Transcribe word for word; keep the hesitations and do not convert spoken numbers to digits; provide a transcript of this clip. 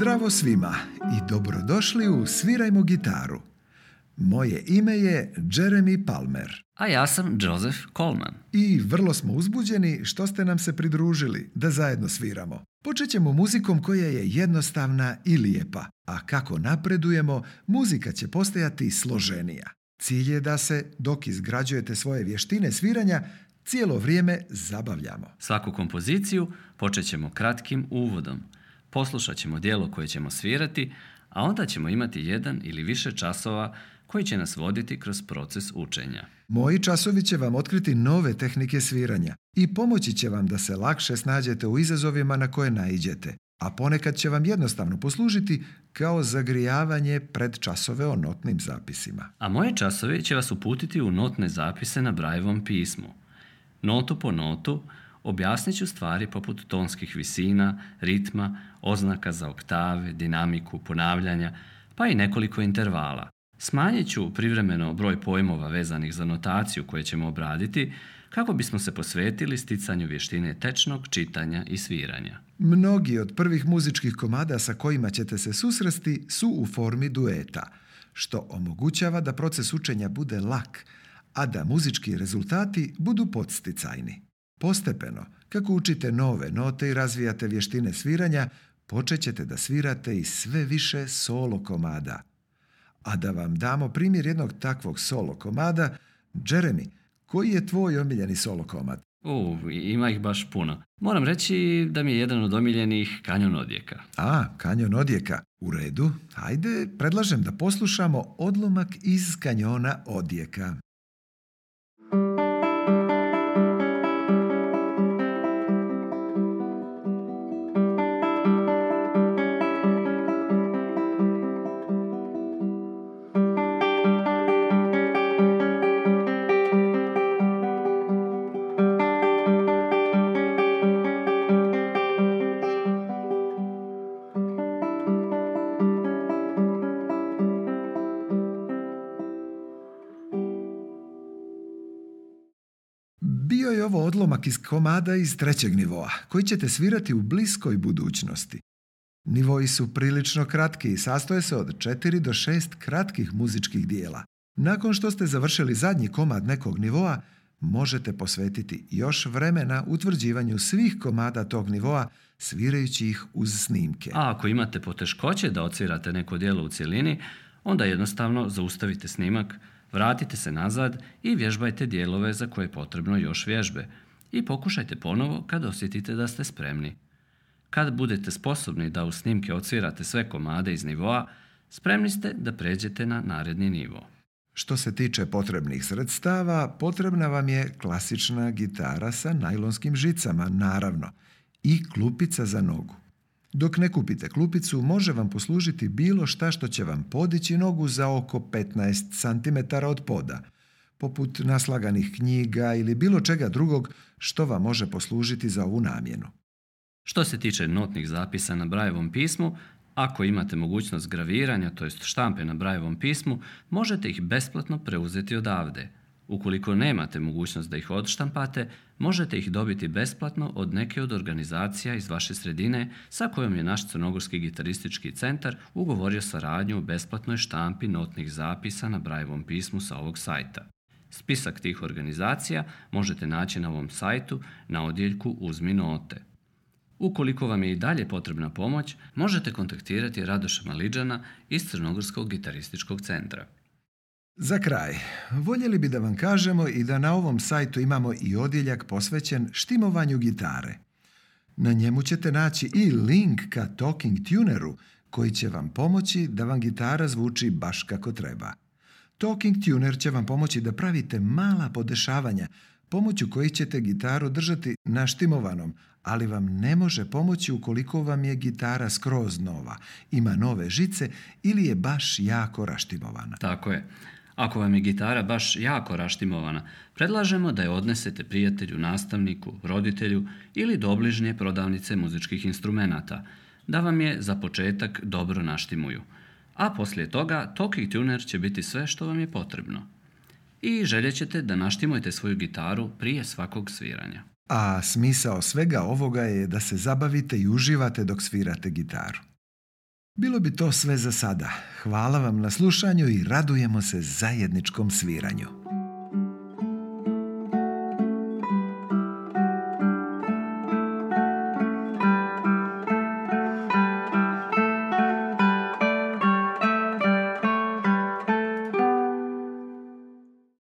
Zdravo svima i dobrodošli u Svirajmo gitaru. Moje ime je Jeremy Palmer. A ja sam Joseph Coleman. I vrlo smo uzbuđeni što ste nam se pridružili da zajedno sviramo. Počet ćemo muzikom koja je jednostavna i lijepa, a kako napredujemo, muzika će postajati složenija. Cilj je da se, dok izgrađujete svoje vještine sviranja, cijelo vrijeme zabavljamo. Svaku kompoziciju počet ćemo kratkim uvodom. Poslušat ćemo djelo koje ćemo svirati, a onda ćemo imati jedan ili više časova koji će nas voditi kroz proces učenja. Moji časovi će vam otkriti nove tehnike sviranja i pomoći će vam da se lakše snađete u izazovima na koje naiđete, a ponekad će vam jednostavno poslužiti kao zagrijavanje pred časove o notnim zapisima. A moji časovi će vas uputiti u notne zapise na Brailleovom pismu. Notu po notu objasnit ću stvari poput tonskih visina, ritma, oznaka za oktave, dinamiku, ponavljanja, pa i nekoliko intervala. Smanjit ću privremeno broj pojmova vezanih za notaciju koje ćemo obraditi kako bismo se posvetili sticanju vještine tečnog čitanja i sviranja. Mnogi od prvih muzičkih komada sa kojima ćete se susresti su u formi dueta, što omogućava da proces učenja bude lak, a da muzički rezultati budu podsticajni. Postepeno, kako učite nove note i razvijate vještine sviranja, počet ćete da svirate i sve više solo komada. A da vam damo primjer jednog takvog solo komada, Jeremy, koji je tvoj omiljeni solo komad? U, ima ih baš puno. Moram reći da mi je jedan od omiljenih Kanjon odjeka. A, Kanjon odjeka. U redu, ajde, predlažem da poslušamo odlomak iz Kanjona odjeka. Bio je ovo odlomak iz komada iz trećeg nivoa, koji ćete svirati u bliskoj budućnosti. Nivoi su prilično kratki i sastoje se od četiri do šest kratkih muzičkih dijela. Nakon što ste završili zadnji komad nekog nivoa, možete posvetiti još vremena utvrđivanju svih komada tog nivoa, svirajući ih uz snimke. A ako imate poteškoće da odsvirate neko djelo u cjelini, onda jednostavno zaustavite snimak, vratite se nazad i vježbajte dijelove za koje je potrebno još vježbe i pokušajte ponovo kad osjetite da ste spremni. Kad budete sposobni da u snimke odsvirate sve komade iz nivoa, spremni ste da pređete na naredni nivo. Što se tiče potrebnih sredstava, potrebna vam je klasična gitara sa najlonskim žicama, naravno, i klupica za nogu. Dok ne kupite klupicu, može vam poslužiti bilo šta što će vam podići nogu za oko petnaest centimetara od poda, poput naslaganih knjiga ili bilo čega drugog što vam može poslužiti za ovu namjenu. Što se tiče notnih zapisa na Brailleovom pismu, ako imate mogućnost graviranja, to jest štampe na Brailleovom pismu, možete ih besplatno preuzeti odavde. Ukoliko nemate mogućnost da ih odštampate, možete ih dobiti besplatno od neke od organizacija iz vaše sredine sa kojom je naš Crnogorski gitaristički centar ugovorio saradnju u besplatnoj štampi notnih zapisa na Brailleovom pismu sa ovog sajta. Spisak tih organizacija možete naći na ovom sajtu na odjeljku Uzmi note. Ukoliko vam je i dalje potrebna pomoć, možete kontaktirati Radoša Maliđana iz Crnogorskog gitarističkog centra. Za kraj, voljeli bi da vam kažemo i da na ovom sajtu imamo i odjeljak posvećen štimovanju gitare. Na njemu ćete naći i link ka Talking Tuneru koji će vam pomoći da vam gitara zvuči baš kako treba. Talking Tuner će vam pomoći da pravite mala podešavanja pomoću kojih ćete gitaru držati naštimovanom, ali vam ne može pomoći ukoliko vam je gitara skroz nova, ima nove žice ili je baš jako raštimovana. Tako je. Ako vam je gitara baš jako raštimovana, predlažemo da je odnesete prijatelju, nastavniku, roditelju ili do obližnje prodavnice muzičkih instrumenata, da vam je za početak dobro naštimuju. A poslije toga Talking Tuner će biti sve što vam je potrebno. I željet ćete da naštimujete svoju gitaru prije svakog sviranja. A smisao svega ovoga je da se zabavite i uživate dok svirate gitaru. Bilo bi to sve za sada. Hvala vam na slušanju i radujemo se zajedničkom sviranju.